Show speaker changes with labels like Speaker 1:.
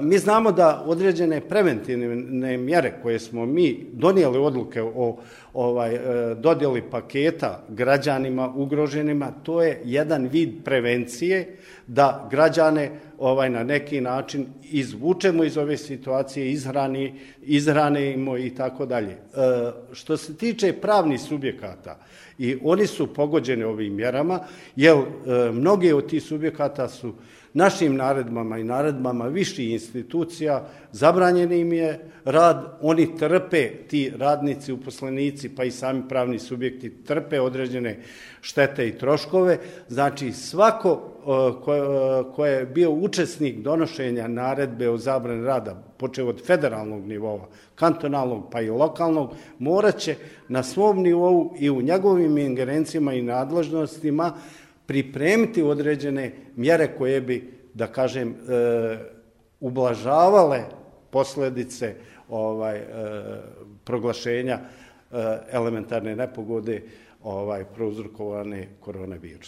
Speaker 1: Mi znamo da određene preventivne mjere koje smo mi donijeli odluke o dodjeli paketa građanima ugroženima, to je jedan vid prevencije da građane na neki način izvučemo iz ove situacije, izhranimo i tako dalje. Što se tiče pravnih subjekata, i oni su pogođeni ovim mjerama, jer mnogi od tih subjekata su našim naredbama i naredbama viših institucija, zabranjen im je rad, oni trpe, ti radnici, uposlenici, pa i sami pravni subjekti trpe određene štete i troškove. Znači, svako ko je bio učesnik donošenja naredbe o zabrani rada, počev od federalnog nivoa, kantonalnog pa i lokalnog, morat će na svom nivou i u njegovim ingerencijama i nadležnostima pripremiti određene mjere koje bi, da kažem, ublažavale posljedice proglašenja elementarne nepogode prouzrokovane koronavirusom.